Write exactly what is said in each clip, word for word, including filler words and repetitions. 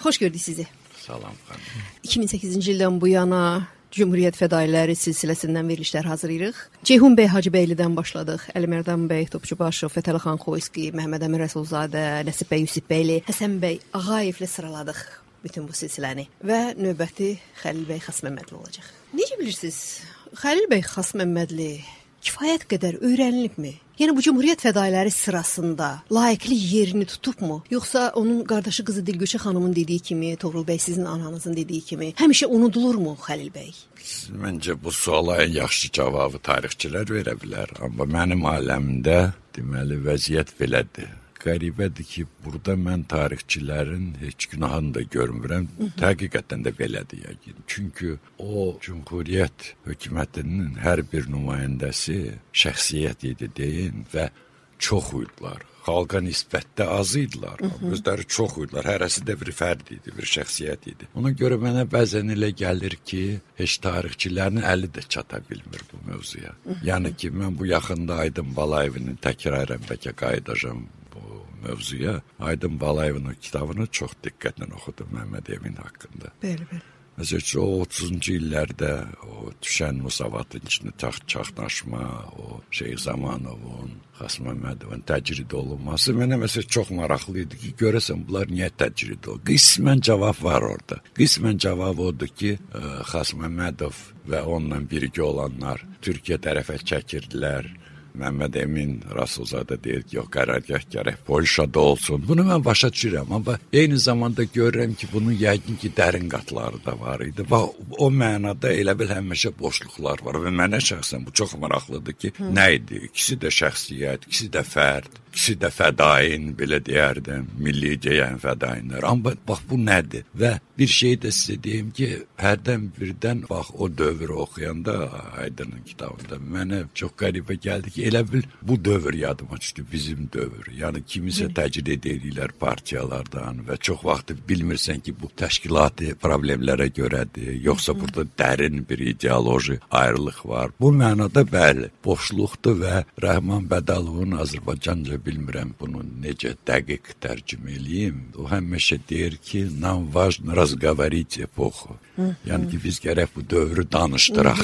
Xoş gördük sizi. Salam xanım. iki min səkkizinci ildən bu yana Cümhuriyyət fədailəri silsiləsindən verilişlər hazırlayırıq. Ceyhun bəy Hacıbəylidən başladıq. Əlimərdan bəy Topçubaşov, Fətəli-xan Xoyski, Məhəmməd Əmin Rəsulzadə, Nəsib bəy Yusifbəyli, Həsən bəy Ağayevlə sıraladıq bütün bu silsiləni. Və növbəti Xəlil bəy Xasməmmədli olacaq. Necə bilirsiniz? Xəlil bəy Xasməmmədli kifayət qədər öyrənilibmi? Yəni bu Cümhuriyyət fədailəri sırasında layiqli yerini tutubmu? Yoxsa onun qardaşı qızı Dilgüşə xanımın dediyi kimi, Toğrul bəy sizin ananızın dediyi kimi həmişə unudulurmu Xəlil bəy? Məncə bu suala ən yaxşı cavabı tarixçilər verə bilər. Amma mənim aləmdə deməli vəziyyət belədir. Qəribədir ki, burada mən tarixçilərin heç günahını da görmürəm. Həqiqətən də belədir yəqin. Çünki o Cümhuriyyət hökumətinin hər bir nümayəndəsi şəxsiyyət idi deyin və çox uydular. Xalqa nisbətdə az idilər. Özləri çox uydular. Hərəsi də bir fərd idi, bir şəxsiyyət idi. Ona görə mənə bəzən elə gəlir ki, heç tarixçilərin əli də çata bilmir bu mövzuya. Yəni ki, mən bu yaxında Aydın Balayevin təkrarən bəlkə qayıdacağam mövzuya. Aydın Balayevin kitabını çox diqqətlə oxudum Məhəmməd Emin haqqında. Bəli, bəli. Məsələn, o otuzuncu illərdə o düşən Musavatın içində çaxnaşma, o Şeyx Zamanovun, Xasməmmədovun təcrid olunması mənə məsələn çox maraqlı idi ki, görəsən bunlar niyə təcrid olunur? Qismən cavab var orada. Qismən cavab odur ki, Xasməmmədov və onunla birgə olanlar Türkiyə tərəfə çəkirdilər. Məhəmməd Emin Rasulzadə deyir ki, yox, qərargah gərək Polşada olsun. Bunu mən başa düşürəm, amma eyni zamanda görürəm ki, bunun yəqin ki, dərin qatları da var idi. Və o mənada elə bil həmişə boşluqlar var və mənə şəxsən bu çox maraqlıdır ki, Hı. nə idi? İkisi də şəxsiyyət, ikisi də fərd, ikisi də fədain, belə deyərdim, milli deyən fədainlər. Amma bax, bu nədir? Və bir şey də sizə deyim ki, hərdən birdən, bax, o dövrü oxuyanda Aydın'ın kitabında mənə çox qəribə gəldi ki, elə bil bu dövr yadıma düşdü, bizim dövr. Yəni kimisə təcrid edirlər partiyalardan və çox vaxt bilmirsən ki, bu təşkilati problemlərə görədir, yoxsa burada dərin bir ideoloji ayrılıq var. Bu mənada bəli, boşluqdur və Rəhman Bədalovun Azərbaycanca bilmirəm bunu necə dəqiq tərcümə eləyim. O həmişə deyir ki, nam важно разговорить эпоху. Yəni ki, biz gərək bu dövrü danışdıraq.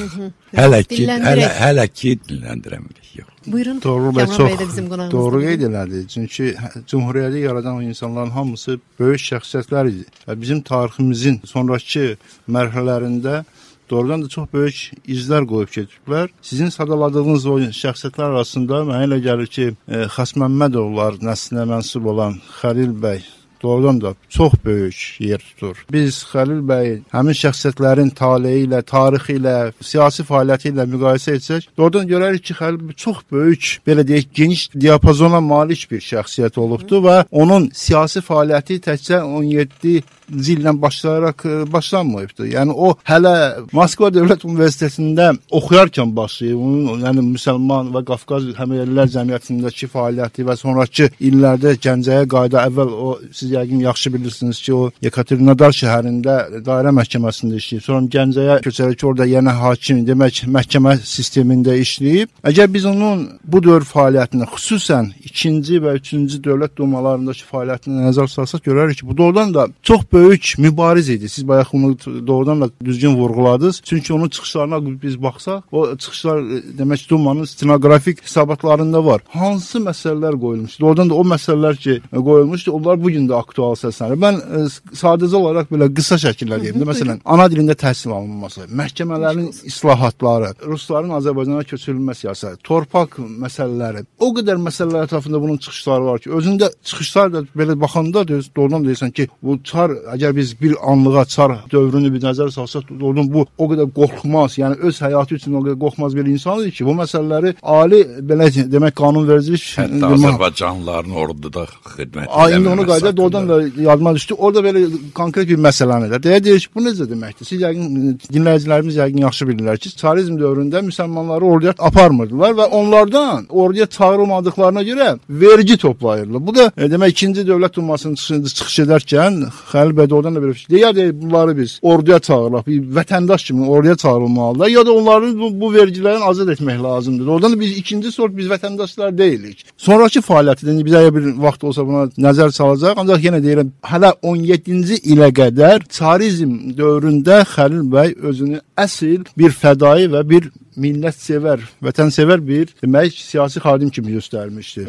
Hələ ki, hələ, hələ ki dinləndirəmirik. Yox. Buyurun. Doğru və çox doğru qeyd elədi. Çünki Cümhuriyyəti yaradan o insanların hamısı böyük şəxsiyyətlər idi. Və bizim tariximizin sonrakı mərhələlərində doğrudan da çox böyük izlər qoyub getiblər. Sizin sadaladığınız o şəxsiyyətlər arasında mənə elə gəlir ki, e, Xasməmmədovlar nəslinə mənsub olan Xəlil bəy doğrudan da çox böyük yer tutur. Biz Xəlil bəy həmin şəxsiyyətlərin taleyi ilə, tarixi ilə, siyasi fəaliyyəti ilə müqayisə etsək, doğrudan görərik ki, Xəlil bəy çox böyük, belə deyək, geniş diapazona malik bir şəxsiyyət olubdu və onun siyasi fəaliyyəti təkcə on yeddi ildən başlayaraq başlanmayıbdı. Yəni o hələ Moskva Dövlət Universitetində oxuyarkən başlayıb, onun yəni müsəlman və Qafqaz həmyerlilər cəmiyyətindəki fəaliyyəti və sonrakı illərdə Gəncəyə qayıda əvvəl o siz yəqin yaxşı bilirsiniz ki, o Yekaterinodar şəhərində dairə məhkəməsində işləyib. Sonra Gəncəyə köçərək orada yenə hakim, demək məhkəmə sistemində işləyib. Əgər biz onun bu dövr fəaliyyətini, xüsusən ikinci və üçüncü dövlət dumalarındakı fəaliyyətini nəzər salsaq görərik ki, bu doğrudan da çox böyük mübariz idi. Siz bayaq bunu doğrudan da düzgün vurğuladınız. Çünki onun çıxışlarına biz baxsaq, o çıxışlar demək dumanın stenoqrafik hesabatlarında var. Hansı məsələlər qoyulmuşdu? Doğrudan da o məsələlər ki qoyulmuşdu, onlar bugün də aktual səslənir. Mən e, sadəcə olaraq belə qısa şəkildə deyim. Məsələn, ana dilində təhsil alınması, məhkəmələrin islahatları, rusların Azərbaycana köçürülmə siyasəti, torpaq məsələləri, o qədər məsələlər ətrafında bunun çıxışları var ki, özündə çıxışlar da belə baxanda doğrudan deyirsən ki, bu çar, əgər biz bir anlığa çar dövrünü bir nəzər salsaq, doğrudan bu o qədər qorxmaz, yəni öz həyatı üçün o qədər qorxmaz bir insan idi ki, bu məsələləri ali, belə demək, qanunvericilik hətta Azərbaycanlıların orduda xidmət eləməməsi. Qayda doğrudan da yadıma düşdü. Orada belə konkret bir məsələni də deyə deyir ki, bu necə deməkdir? Siz yəqin dinləyicilərimiz yəqin yaxşı bilirlər ki, çarizm dövründə müsəlmanları orduya aparmırdılar və onlardan orduya çağırılmadıqlarına görə vergi toplayırlar. Bu da e, demək ikinci dövlət dumasının çıxış, çıxış edərkən Xəlil bəy doğrudan da belə bir şey. Ya da bunları biz orduya çağırırıq, bir vətəndaş kimi orduya çağırılmalılar, ya da onların bu, bu vergilərini azad etmək lazımdır. Oradan da biz ikinci sort biz vətəndaşlar deyilik. Sonrakı fəaliyyəti bizə bir vaxt olsa buna nəzər salacaq. Ancaq olaraq yenə deyirəm, hələ on yeddinci ilə qədər çarizm dövründə Xəlil bəy özünü əsl bir fədai və bir millətsevər, vətənsevər bir demək siyasi xadim kimi göstərmişdi.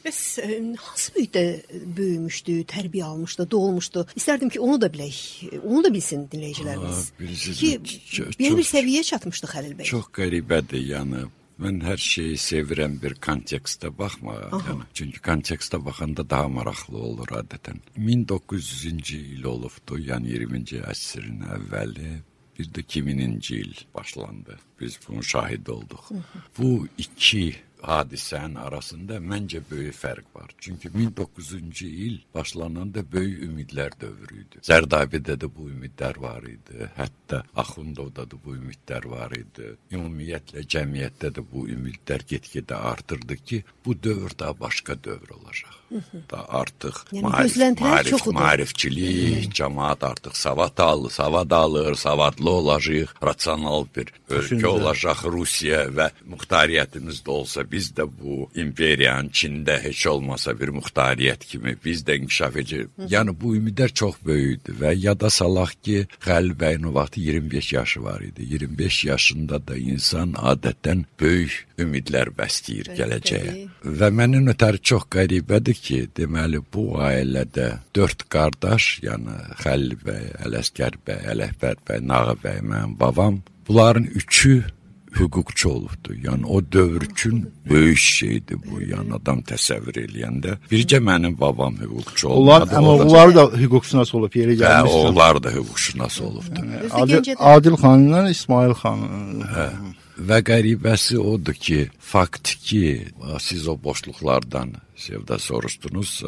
Bəs hansı mühitdə böyümüşdü, tərbiyə almışdı, doğulmuşdu? İstərdim ki, onu da bilək, onu da bilsin dinləyicilərimiz. Ki, belə bir səviyyəyə çatmışdı Xəlil bəy. Çox qəribədir, yəni. Mən hər şeyi sevirəm bir kontekstə baxma. Yəni, çünki kontekstə baxanda daha maraqlı olur adətən. min doqquz yüzüncü il olubdu, yəni iyirminci əsrin əvvəli. Bir də iki mininci il başlandı. Biz bunun şahid olduq. Bu iki hadisənin arasında məncə böyük fərq var. Çünki min doqquz yüzüncü il başlananda böyük ümidlər dövrü idi. Zərdabidə də bu ümidlər var idi. Hətta Axundovda da bu ümidlər var idi. Ümumiyyətlə cəmiyyətdə də bu ümidlər get-gedə artırdı ki, bu dövr daha başqa dövr olacaq. Da artıq yəni, marif, marif, marifçilik, cəmaat artıq savad alır, savad alır, savadlı olacaq, rasional bir ölkə olacaq Rusiya və muxtariyyətimiz də olsa, biz də bu imperiyanın Çində heç olmasa bir muxtariyyət kimi biz də inkişaf edəcək. Yəni bu ümidlər çox böyükdür və yada salaq ki, Xəlil bəyin o vaxt iyirmi beş yaşı var idi. iyirmi beş yaşında da insan adətən böyük ümidlər bəsləyir gələcəyə. Və mənim ötəri çox qəribədir ki, deməli bu ailədə dörd qardaş, yəni Xəlil bəy, Ələsgər bəy, Ələkbər bəy, Nağı bəy, mənim babam, bunların üçü hüquqçu olubdu. Yəni o dövr üçün böyük şeydir bu. Yəni adam təsəvvür eləyəndə. Bircə mənim babam hüquqçu olmadı. Onlar, amma onlar da hüquqşünas olub, yeri gəlmişdi. Hə, onlar da hüquqşünas olubdu. Yəni, Adil, Adil xanla İsmail xan. Hə. Və qəribəsi odur ki, faktiki, siz o boşluqlardan Sevda soruşdunuz,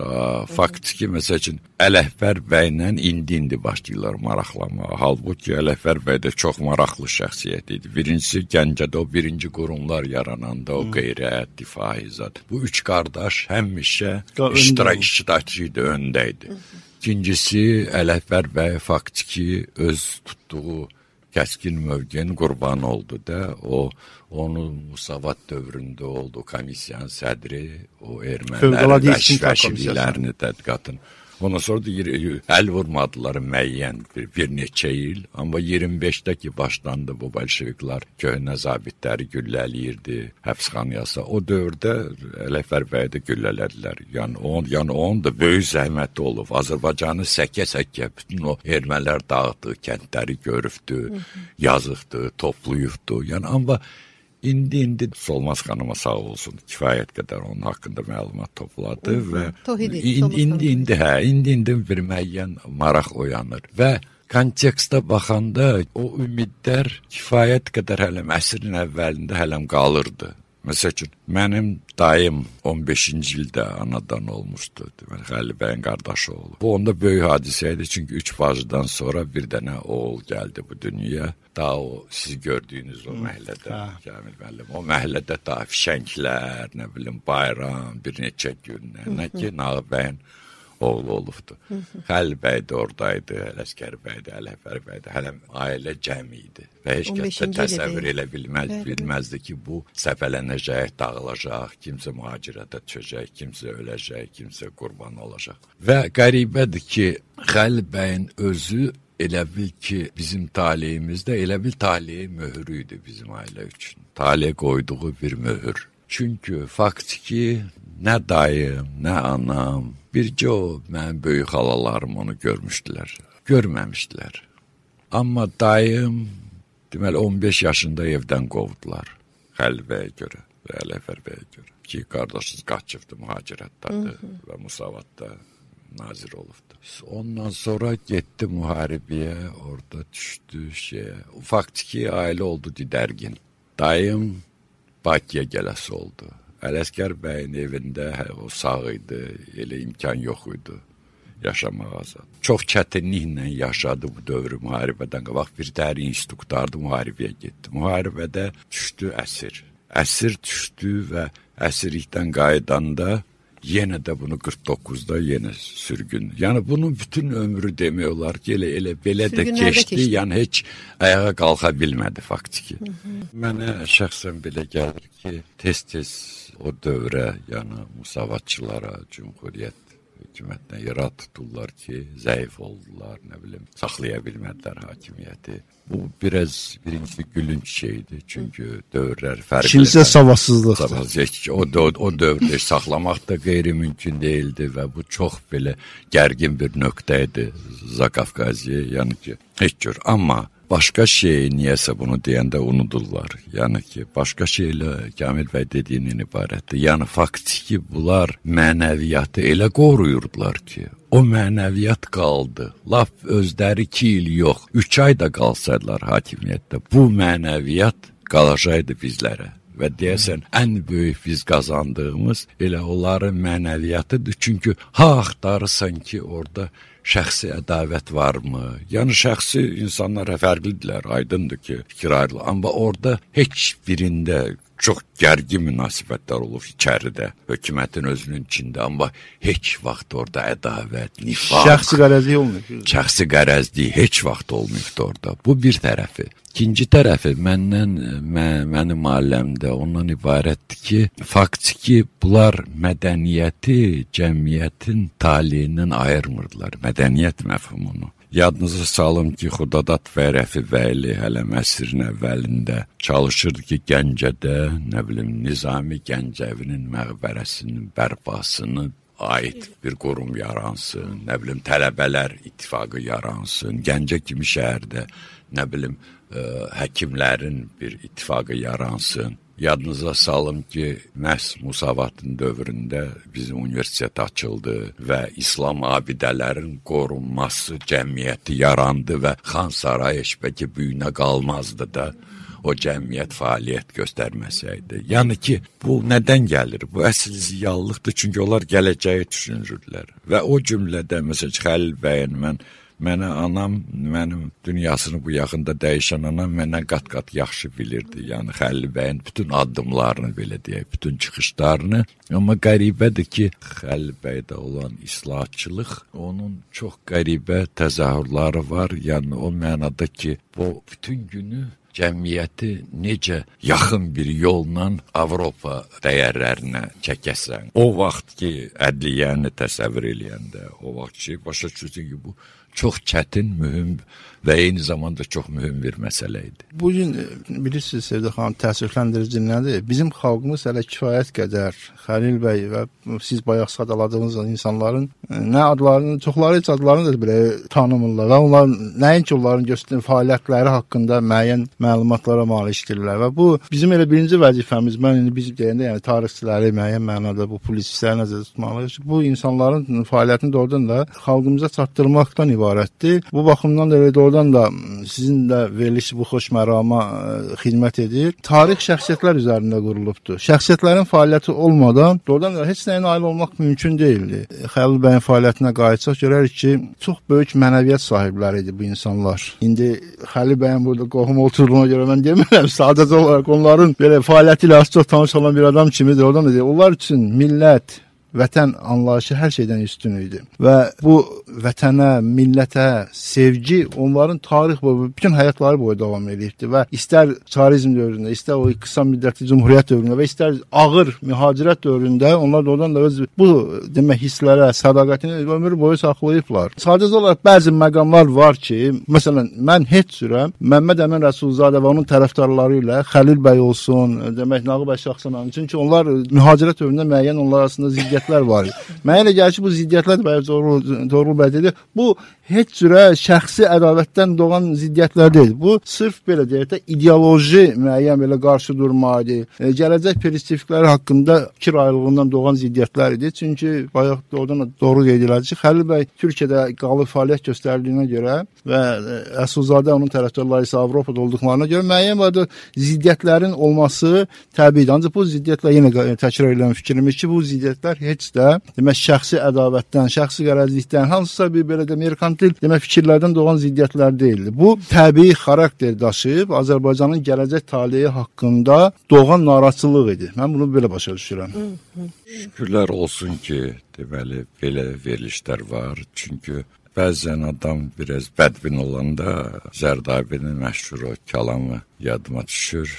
faktiki, məsəl üçün, Ələkbər bəylə indi-indi başlayırlar maraqlamağa. Halbuki Ələkbər bəy də çox maraqlı şəxsiyyət idi. Birincisi, Gəncədə o birinci qurumlar yarananda, o qeyrət, difai zat. Bu üç qardaş həmişə iştirak iştirakçı idi, öndə idi. İkincisi, Ələkbər bəy faktiki öz tutduğu kəskin mövqenin qurbanı oldu da, o onun Musavat dövründə oldu, komissiyanın sədri, o ermənilərin vəşvəşiliklərini tədqiqatın. Ondan sonra da əl vurmadılar müəyyən bir, bir neçə il. Amma iyirmi beşdə ki başlandı bu bolşeviklər köhnə zabitləri güllələyirdi, həbsxanaya. O dövrdə Ələkbər bəyi də güllələdilər. Yəni on, yəni onun da böyük zəhməti olub. Azərbaycanı səkə-səkə bütün o ermənilər dağıtdı, kəndləri görübdü, yazıqdı, toplayıbdı. Yəni amma İndi-indi Solmaz xanıma sağ olsun, kifayət qədər onun haqqında məlumat topladı və indi-indi, hə, indi-indi bir müəyyən maraq oyanır və kontekstə baxanda o ümidlər kifayət qədər hələm əsrin əvvəlində hələm qalırdı. Məsəl üçün, mənim dayım on beşinci ildə anadan olmuşdu, deməli, Xəlil bəyin qardaşı oldu. Bu onda böyük hadisə idi, çünki üç bacıdan sonra bir dənə oğul gəldi bu dünyaya. Daha o, siz gördüyünüz o məhəllədə, Kamil müəllim, o məhəllədə daha fişənglər, nə bilim, bayram, bir neçə gün, nə ki, Nağı bəyin oğlu olubdu. Xəlil bəy də oradaydı, Ələsgər bəy də, Ələkbər bəy də, hələm ailə cəmi idi. Və heç kəs də təsəvvür elə bilməz, bilməzdi ki, bu səfələnəcək, dağılacaq, kimsə mühacirətə düşəcək, kimsə öləcək, kimsə qurban olacaq. Və qəribədir ki, Xəlil bəyin özü elə bil ki, bizim taleyimizdə elə bil taleyi möhrü idi bizim ailə üçün. Taley qoyduğu bir möhür. Çünki faktiki nə dayım, nə anam, bircə o mənim böyük xalalarım onu görmüşdülər, görməmişdilər. Amma dayım, deməli, on beş yaşında evdən qovdular Xəlil bəyə görə və Ələkbər bəyə görə. Ki, qardaşınız qaçıbdı, mühacirətdadır və Musavatda nazir olubdu. Ondan sonra getdi müharibəyə, orada düşdü şeyə. Faktiki ailə oldu didərgin. Dayım Bakıya gələsi oldu. Ələsgər bəyin evində o sağ idi, elə imkan yox idi yaşamağa. Çox çətinliklə yaşadı bu dövrü müharibədən qabaq. Bir dəri institutlardı, müharibəyə getdi. Müharibədə düşdü əsir. Əsir düşdü və əsirlikdən qaydanda yenə də bunu qırx doqquzda yenə sürgün. Yəni bunun bütün ömrü demək olar ki, elə, elə belə də keçdi, keçdi. Yəni heç ayağa qalxa bilmədi faktiki. Hı -hı. Mənə şəxsən belə gəlir ki, tez-tez o dövrə, yəni Musavatçılara, Cümhuriyyət hökumətdən irad tutdular ki, zəif oldular, nə bilim, saxlaya bilmədilər hakimiyyəti. Bu biraz birinci gülünç şeydi. Çünki dövrlər fərqli. İkincisi savadsızlıqdır. O, o, o dövrdə saxlamaq da qeyri-mümkün değildi və bu çox belə gərgin bir nöqtə idi Zakavkaziyə, yəni ki, heç cür. Amma başqa şey niyəsə bunu deyəndə unudurlar. Yəni ki, başqa şeylə Kamil bəy dediyindən ibarətdir. Yəni faktiki bunlar mənəviyyatı elə qoruyurdular ki, o mənəviyyat qaldı. Laf özləri iki il yox, üç ay da qalsaydılar hakimiyyətdə, bu mənəviyyat qalacaqdı bizlərə. Və deyəsən, ən böyük biz qazandığımız elə onların mənəviyyatıdır. Çünki ha axtarırsan ki, orada şəxsi ədavət varmı? Yəni, şəxsi insanlar fərqlidirlər, aydındır ki, fikir ayrılır. Amma orada heç birində çox gərgin münasibətlər olur içəridə, hökumətin özünün içində, amma heç vaxt orada ədavət, nifaq, şəxsi qərəzlik olmuyor. Şəxsi qərəzlik heç vaxt olmuyor orada. Bu bir tərəfi. İkinci tərəfi məndən, mə, mənim aləmdə ondan ibarətdir ki, faktiki bunlar mədəniyyəti cəmiyyətin taliyindən ayırmırdılar, mədəniyyət məfhumunu. Yadınıza salım ki, Xudadat və Rəfi Bəyli hələ əsrin əvvəlində çalışırdı ki, Gəncədə, nə bilim, Nizami Gəncəvinin məqbərəsinin bərpasını ait bir qurum yaransın, nə bilim, tələbələr ittifaqı yaransın, Gəncə kimi şəhərdə, nə bilim, ə, həkimlərin bir ittifaqı yaransın. Yadınıza salım ki, məhz Musavatın dövründə bizim universitet açıldı və İslam abidələrin qorunması cəmiyyəti yarandı və Xan Saray eşbəki büyünə qalmazdı da o cəmiyyət fəaliyyət göstərməsəydi. Yəni ki, bu nədən gəlir? Bu əsl ziyalılıqdır, çünki onlar gələcəyi düşünürdülər. Və o cümlədə, məsələn, Xəlil bəyin mən Mənə anam, mənim dünyasını bu yaxında dəyişən anam mənə qat-qat yaxşı bilirdi. Yəni Xəlil bəyin bütün addımlarını, belə deyək, bütün çıxışlarını. Amma qəribədir ki, Xəlil bəydə olan islahatçılıq, onun çox qəribə təzahürləri var. Yəni o mənada ki, bu bütün günü cəmiyyəti necə yaxın bir yolla Avropa dəyərlərinə çəkəsən. O vaxt ki, ədliyyəni təsəvvür eləyəndə, o vaxt ki, başa düşürsən ki, bu çox çətin, mühüm və eyni zamanda çox mühüm bir məsələ idi. Bugün bilirsiniz Sevdə xanım, təəssüfləndirici nədir? Bizim xalqımız hələ kifayət qədər Xəlil bəy və siz bayaq sadaladığınız insanların nə adlarını, çoxları heç adlarını da belə tanımırlar və onlar nəinki onların göstərdiyi fəaliyyətləri haqqında müəyyən məlumatlara malikdirlər və bu bizim elə birinci vəzifəmiz. Mən indi biz deyəndə, yəni tarixçiləri müəyyən mənada bu publisistləri nəzərdə tutmalıyıq. Bu insanların fəaliyyətini doğrudan da xalqımıza çatdırmaqdan ibarətdir. Bu baxımdan da elə doğrudan da sizin də veriliş bu xoş mərama xidmət edir. Tarix şəxsiyyətlər üzərində qurulubdur. Şəxsiyyətlərin fəaliyyəti olmadan doğrudan da heç nəyə nail olmaq mümkün deyildi. Xəlil bəyin fəaliyyətinə qayıtsaq görərik ki, çox böyük mənəviyyat sahibləri idi bu insanlar. İndi Xəlil bəyin burada qohum oturduğuna görə mən demirəm, sadəcə olaraq onların belə fəaliyyəti ilə az çox tanış olan bir adam kimidir. Oradan da deyir, onlar üçün millət, vətən anlayışı hər şeydən üstün idi. Və bu vətənə, millətə sevgi onların tarix boyu, bütün həyatları boyu davam edibdi və istər çarizm dövründə, istər o qısa müddətli cumhuriyyət dövründə və istər ağır mühacirət dövründə onlar da oradan da öz bu demək hisslərə, sədaqətini ömür boyu saxlayıblar. Sadəcə olaraq bəzi məqamlar var ki, məsələn, mən heç cürəm Məmməd Əmin Rəsulzadə və onun tərəfdarları ilə Xəlil bəy olsun, demək Nağıl bəy Şaxçıyan, çünki onlar mühacirət dövründə müəyyən onlar arasında ziddiyyətlər var. Mənə elə gəlir ki, bu ziddiyyətlər bəy doğru bəy dedi. Bu heç cürə şəxsi ədavətdən doğan ziddiyyətlər deyil. Bu sırf belə deyək də ideoloji müəyyən belə qarşı durma idi. E, gələcək perspektivləri haqqında fikir ayrılığından doğan ziddiyyətlər idi. Çünki bayaq oradan doğru qeyd edildi ki, Xəlil bəy Türkiyədə qalıb fəaliyyət göstərdiyinə görə və Əsulzadə onun tərəfdarları isə Avropada olduqlarına görə müəyyən bir ziddiyyətlərin olması təbiidir. Ancaq bu ziddiyyətlər yenə təkrar edən fikrimiz ki, bu ziddiyyətlər heç də demək şəxsi ədavətdən, şəxsi qərəzlikdən, hansısa bir belə də merkantil demək fikirlərdən doğan ziddiyyətlər deyildi. Bu təbii xarakter daşıyıb Azərbaycanın gələcək taleyi haqqında doğan narahatçılıq idi. Mən bunu belə başa düşürəm. Şükürlər olsun ki, deməli belə verilişlər var. Çünki bəzən adam biraz bədbin olanda Zərdabinin məşhur o kəlamı yadıma düşür.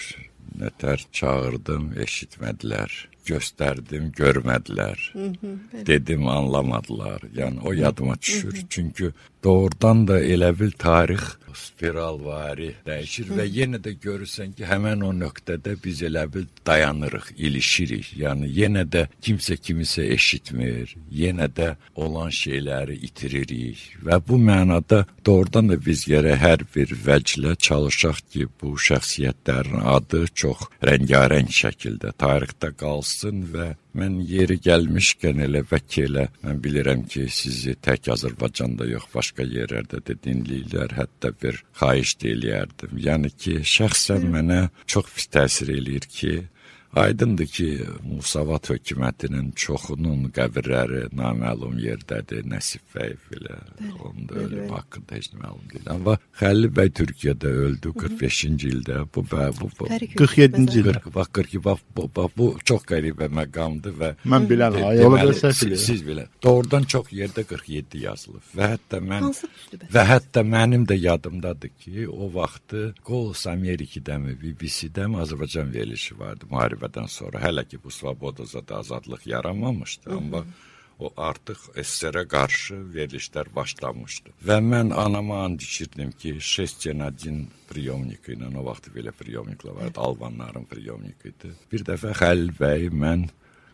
Nətər çağırdım, eşitmədilər. gösterdim, görmediler. Hı hı, dedim, anlamadılar. Yani o yadıma düşür. Hı hı. Çünkü doğrudan da elə bil tarix spiralvari dəyişir hı. və yenə də görürsən ki, həmən o nöqtədə biz elə bil dayanırıq, ilişirik. Yəni yenə də kimsə kimisə eşitmir, yenə də olan şeyləri itiririk və bu mənada doğrudan da biz gərək hər bir vəclə çalışaq ki, bu şəxsiyyətlərin adı çox rəngarəng şəkildə tarixdə qalsın və mən yeri gəlmişkən elə vəkil elə, mən bilirəm ki, sizi tək Azərbaycanda yox, başqa yerlərdə də dinləyirlər, hətta bir xahiş eləyərdim. Yəni ki, şəxsən mənə çox pis təsir eləyir ki, aydındır ki, Musavat hökumətinin çoxunun qəbirləri naməlum yerdədir, Nəsib Bəyev ilə, onun da ölüm haqqında heç məlum deyil. Amma Xəlil bəy Türkiyədə öldü qırx beşinci ildə, bu və bu, bu qırx yeddinci ildə. Bax, qırx iki, bax, bu, bax, bu çox qəribə məqamdır və mən bilən, ay, ola bilsəz siz, siz bilən. Doğrudan çox yerdə qırx yeddi yazılıb və hətta mən və hətta mənim də yadımdadır ki, o vaxtı Qolus Amerikidəmi, B B C-dəmi Azərbaycan verilişi vardı, müharibə sonra, hələ ki bu Svobodada azadlıq yaranmamışdı, hı -hı. amma o artıq S S R-ə qarşı verilişlər başlamışdı. Və mən anama and içirdim ki, şest один priyomnik ilə, o vaxt belə priyomniklər vardı, Albanların priyomnik idi. Bir dəfə Xəlil bəy mən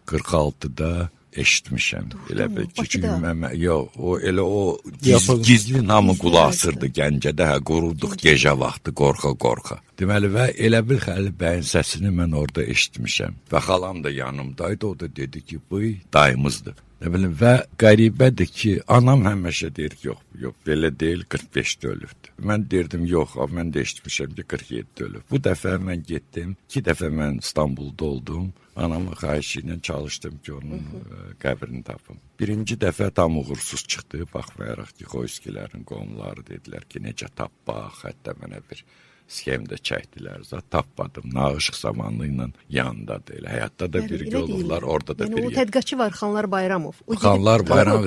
qırx altıda eşitmişəm. Elə bir ki, mən, yox, o elə o giz, gizli namı qulaq asırdı Gəncədə, hə, qururduq gecə vaxtı, qorxa-qorxa. Deməli, və elə bir Xəlil bəyin səsini mən orada eşitmişəm. Və xalam da yanımdaydı, o da dedi ki, bu dayımızdır. Ne bilim, və qəribədir ki, anam həmişə deyir ki, yox, yox, belə deyil, qırx beşdə ölübdür. Mən deyirdim, yox, mən də eşitmişəm ki, qırx yeddidə ölüb. Bu dəfə mən getdim, iki dəfə mən İstanbulda oldum, anamın xahişi ilə çalışdım ki, onun hı -hı. qəbrini tapım. Birinci dəfə tam uğursuz çıxdı, baxmayaraq ki, Xoyskilərin qonumları dedilər ki, necə tapmaq, hətta mənə bir sxemdə çəkdilər, zat tapmadım, Nağışıq zamanlı ilə yanındadır, elə həyatda da bir yolurlar, orada da yəni, bir... Yəni o tədqiqatçı var, Xanlar Bayramov. O Xanlar Bayramov,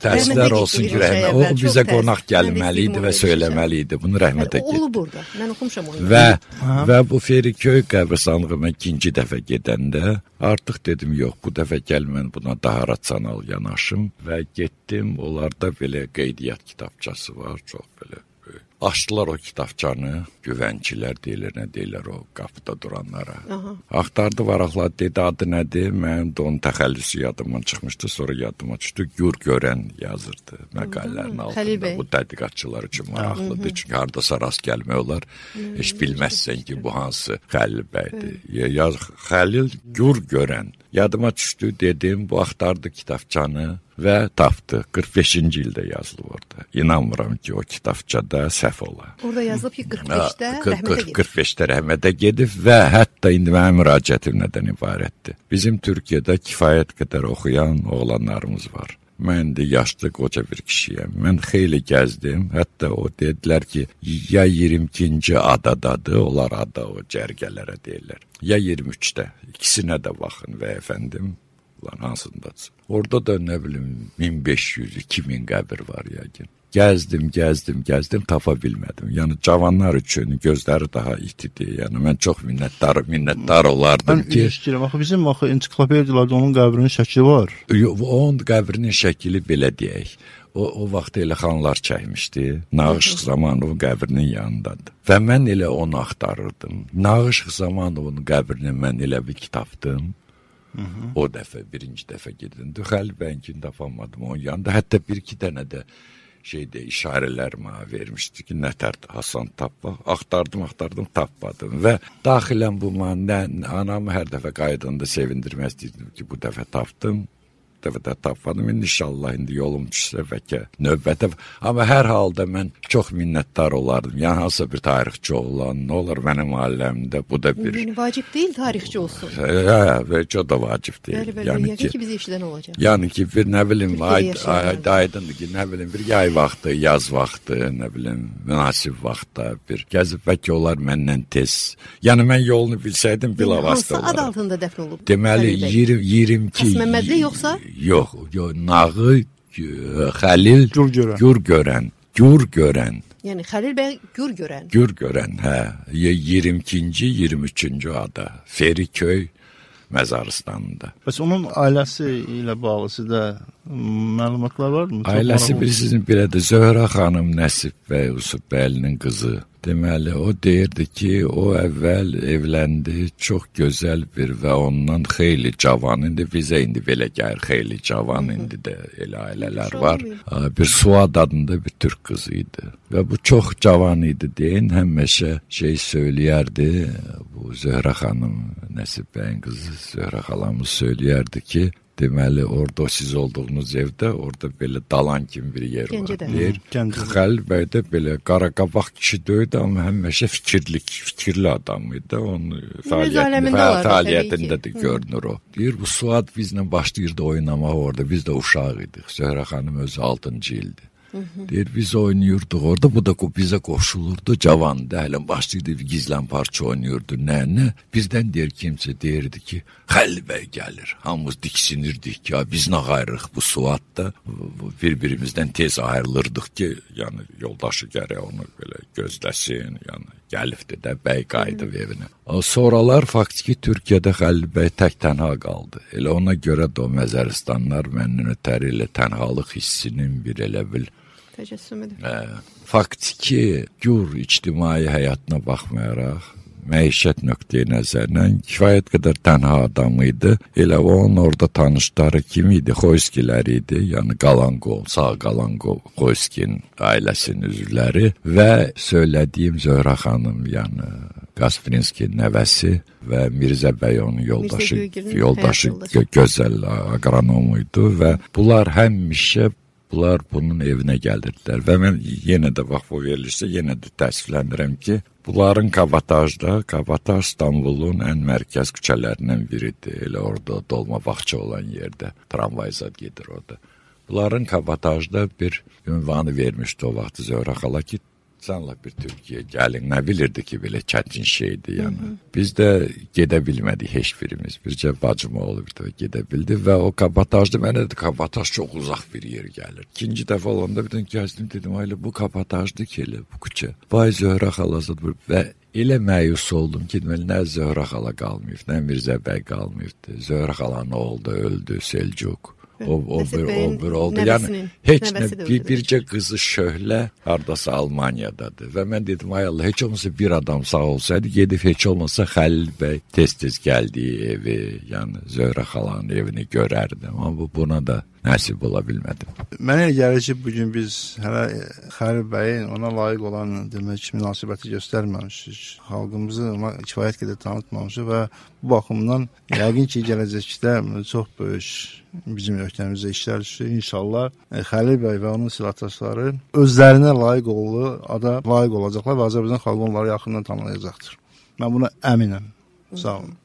təsirlər olsun ki, rəhmətə, o bizə qonaq gəlməli idi və söyləməli idi, bunu rəhmətə getdi. Oğlu burada, mən oxumuşam onu. Və, və bu Feriköy qəbristanlığıma ikinci dəfə gedəndə, artıq dedim, yox, bu dəfə gəl mən buna daha rasional yanaşım və getdim, onlarda belə qeydiyyat kitabçası var, çox belə. Açdılar o kitabçanı, güvənçilər deyilir, nə deyirlər o qapıda duranlara. Aha. Axtardı varaqlar, dedi adı nədir? Mənim də onun təxəllüsü yadımdan çıxmışdı, sonra yadıma düşdü. Gür görən yazırdı məqalələrin altında. Bu tədqiqatçılar üçün maraqlıdır, çünki hardasa rast gəlmək olar. Hı-hı. Heç bilməzsən ki, bu hansı Xəlil bəydir. Ya, Xəlil Gür görən. Yadıma düşdü, dedim, bu axtardı kitabçanı və tapdı. qırx beşinci ildə yazılıb orada. İnanmıram ki, o kitabçada səhv ola. Orada yazılıb ki, qırx beşdə rəhmətə gedib. qırx beşdə rəhmətə gedib və hətta indi mənim müraciətim nədən ibarətdir. Bizim Türkiyədə kifayət qədər oxuyan oğlanlarımız var. Mən də yaşlı qoca bir kişiyəm. Mən xeyli gəzdim. Hətta o dedilər ki, ya iyirmi ikinci adadadır, onlar ada o cərgələrə deyirlər. Ya iyirmi üçdə. İkisinə də baxın və əfəndim, ulan hansındadır? Orada da nə bilim min beş yüz iki min qəbir var yəqin. Gəzdim, gəzdim, gəzdim, tapa bilmədim. Yəni cavanlar üçün gözləri daha itidir. Yəni mən çox minnətdar, minnətdar olardım mən ki, istəyirəm, axı bizim axı ensiklopediyalarda onun qəbrinin şəkli var. Onun qəbrinin şəkli belə deyək. O o vaxt elə xanlar çəkmişdi. Nağışıq Zamanovun qəbrinin yanındadır. Və mən elə onu axtarırdım. Nağışıq Zamanovun qəbrini mən elə bir tapdım. Hı -hı. O dəfə, birinci dəfə gedildi. Xəlil bəyinkini tapamadım onun yanında. Hətta bir-iki dənə də şeydə işarələr mənə vermişdi ki, nətərdir Hasan tapma. Axtardım, axtardım, tapmadım və daxilən bu mənə anamı hər dəfə qaydanda sevindirmək istəyirdim ki, bu dəfə tapdım. dəfə də tapmadım. İnşallah indi yolum düşsə bəlkə növbətə. Amma hər halda mən çox minnətdar olardım. Yəni hansısa bir tarixçi olan, nə olar mənim ailəmdə bu da bir... Yəni vacib deyil tarixçi olsun. Hə, bəlkə o da vacib deyil. Bəli, bəli, yəni ki, ki biz eşidən olacaq. Yəni ki, bir nə bilim, aydındır ki, nə bilim, bir yay vaxtı, yaz vaxtı, nə bilim, münasib vaxtda bir gəzib bəlkə olar məndən tez. Yəni mən yolunu bilsəydim bilavasitə olaraq. Hansı ad altında dəfn olub? Deməli, iyirmi iki... Xasməmmədli yoxsa? Yox, yox, Nağı, Xəlil, Gür görən, Gür görən. Yəni Xəlil bəy Gür görən. Gür görən, hə. iyirmi ikinci, iyirmi üçüncü ada. Feriköy, məzarstanında. Bəs onun ailəsi ilə bağlısı da məlumatlar varmı? Ailəsi bilirsiniz belədir. Zöhrə xanım Nəsib bəy Yusubəylinin qızı. Deməli, o deyirdi ki, o əvvəl evləndi, çox gözəl bir və ondan xeyli cavan, indi bizə indi belə gəlir, xeyli cavan, indi də elə ailələr var. Bir Suad adında bir türk qızı idi və bu çox cavan idi deyin, həmişə şey söyləyərdi, bu Zöhrə xanım Nəsib bəyin qızı Zöhrə xalamız söyləyərdi ki, deməli, orada siz olduğunuz evdə, orada belə dalan kimi bir yer var. Deyir, Xəlil bəy də belə qaraqabaq kişi döydü, amma həmişə fikirli, fikirli adam idi. Onun fəaliyyətində də görünür o. Deyir, bu Suad bizlə başlayırdı oynamağa orada, biz də uşaq idik. Zöhrə xanım özü altıncı ildi. Deyir, biz oynayırdıq orada, bu da bizə qoşulurdu, cavandı, hələ başlayırdı, gizlən parça oynayırdı, nə, nə. Bizdən deyir, kimsə deyirdi ki, Xəlil bəy gəlir, hamımız diksinirdik ki, biz nə ayrılıq bu Suadda, bir-birimizdən tez ayrılırdıq ki, yəni yoldaşı gərək onu belə gözləsin, yəni gəlifdi də, bəy qayıdıb evinə. Sonralar faktiki Türkiyədə Xəlil bəy tək tənha qaldı. Elə ona görə də o Məzəristanlar məndən ötəri ilə tənhalıq hissinin bir elə bil təcəssümüdür. Faktiki gür ictimai həyatına baxmayaraq, məişət nöqteyi nəzərdən kifayət qədər tənha adam idi. Elə onun orada tanışları kim idi? Xoyskilər idi. Yəni Qalanqov, sağ Qalanqov, Xoyskinin ailəsinin üzvləri və söylədiyim Zöhrə xanım, yəni Qasprinskinin nəvəsi və Mirzə bəy onun yoldaşı, yoldaşı gözəl aqronom idi və bunlar həmişə bunlar bunun evinə gəlirdilər və mən yenə də bax bu verilişdə yenə də təəssüflənirəm ki, bunların Kabatajda, Kabataj İstanbulun ən mərkəz küçələrindən biridir. Elə orada dolma bağça olan yerdə tramvay zad gedir orada. Bunların Kabatajda bir ünvanı vermişdi o vaxt Zöhrə xala ki, canla bir Türkiyə gəlin, nə bilirdi ki, belə çətin şeydir, yəni. Hı -hı. Biz də gedə bilmədik heç birimiz. Bircə bacım oğlu bir də gedə bildi və o Kabatajda mənə də Kabataj çox uzaq bir yer gəlir. İkinci dəfə olanda bir də gəzdim, dedim, ayla bu Kabatajdı ki, elə bu küçə. Vay Zöhrə xalası və elə məyus oldum ki, deməli, nə Zöhrə xala qalmayıb, nə Mirzə bəy qalmayıbdı. Zöhrə xalanın oğlu da öldü, Selcuk. O, o, bir, o bir oldu. Yəni, heç nə, bir, bircə qızı Şöhlə hardasa Almaniyadadır. Və mən dedim, ay Allah, heç olmasa bir adam sağ olsaydı, gedib heç olmasa Xəlil bəy tez-tez gəldiyi evi, yəni Zöhrə xalanın evini görərdim. Amma bu, buna da nəsib ola bilmədim. Mənə elə gəlir ki, bugün biz hələ Xəlil bəyin ona layiq olan demək ki, münasibəti göstərməmişik. Xalqımızı ona kifayət qədər tanıtmamışıq və bu baxımdan yəqin ki, gələcəkdə çox böyük bizim ölkəmizdə işlər düşür. İnşallah Xəlil bəy və onun silahdaşları özlərinə layiq olduğu ada layiq olacaqlar və Azərbaycan xalqı onları yaxından tanıyacaqdır. Mən buna əminəm. Sağ olun.